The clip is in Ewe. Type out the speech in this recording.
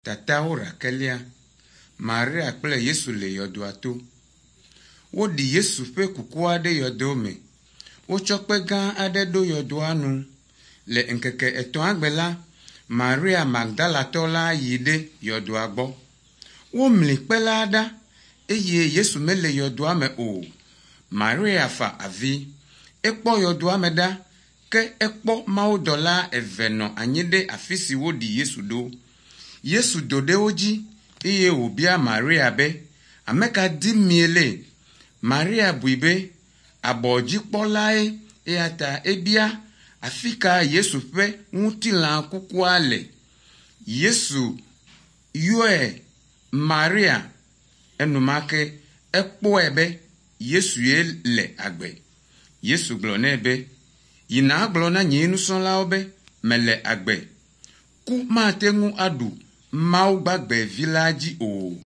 Tatawo rakelia. Maria kple Yesu le yɔdoa to. Woɖi Yesu ƒe kukua ɖe yɔdo me. Wotsɔ kpe gã aɖe ɖo yɔdoa nu. Le ŋkeke etɔ̃a gbe la, Maria Magdalatɔ la yi ɖe yɔdoa gbɔ. Womli kpe la ɖa eye Yesu mele yɔdoa me o. Maria fa avi. Ekpɔ yɔdoa me ɖa ke ekpɔ mawudɔla eve nɔ anyi ɖe afi si woɖi Yesu ɖo. Yesu do ɖe wo dzi eye wòbia Maria be, “Ame ka dim miele?” Maria bui be abɔdzikpɔlae eya ta ebia afi ka Yesu ƒe ŋutilã kukua le. Yesu yɔe Maria enumake ekpɔe be Yesue le agbe. Yesu gblɔ nɛ be, “Yi nàgblɔ na nye nusrɔ̃lawo be mele agbe. Ku mate ŋu aɖu Mawu gbagbe vi la dzi o.”